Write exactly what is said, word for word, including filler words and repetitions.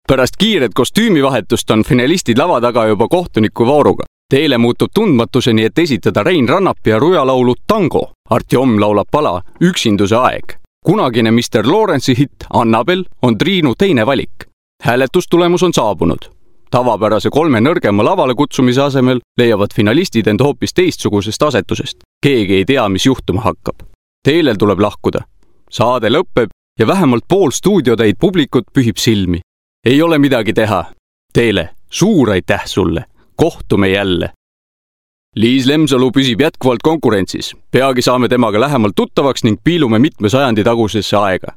Pärast kiiret kostüümivahetust on finalistid lava taga juba kohtuniku vooruga. Teele muutub tundmatuseni, et esitada Rein Rannapi ja Ruja laulu Tango. Artjom laulab pala Üksinduse aeg. Kunagine mister Lawrence'i hitt Annabel on Triinu teine valik. Hääletustulemus on saabunud. Tavapärase kolme nõrgema lavale kutsumise asemel leiavad finalistid end hoopis teistsugusest asetusest. Keegi ei tea, mis juhtuma hakkab. Teelel tuleb lahkuda. Saade lõpeb ja vähemalt pool stuudiotäid publikut pühib silmi. Ei ole midagi teha. Teele, suur aitäh sulle. Kohtume jälle. Liis Lemsalu püsib jätkuvalt konkurentsis. Peagi saame temaga lähemalt tuttavaks ning piilume mitme sajandi tagusesse aega.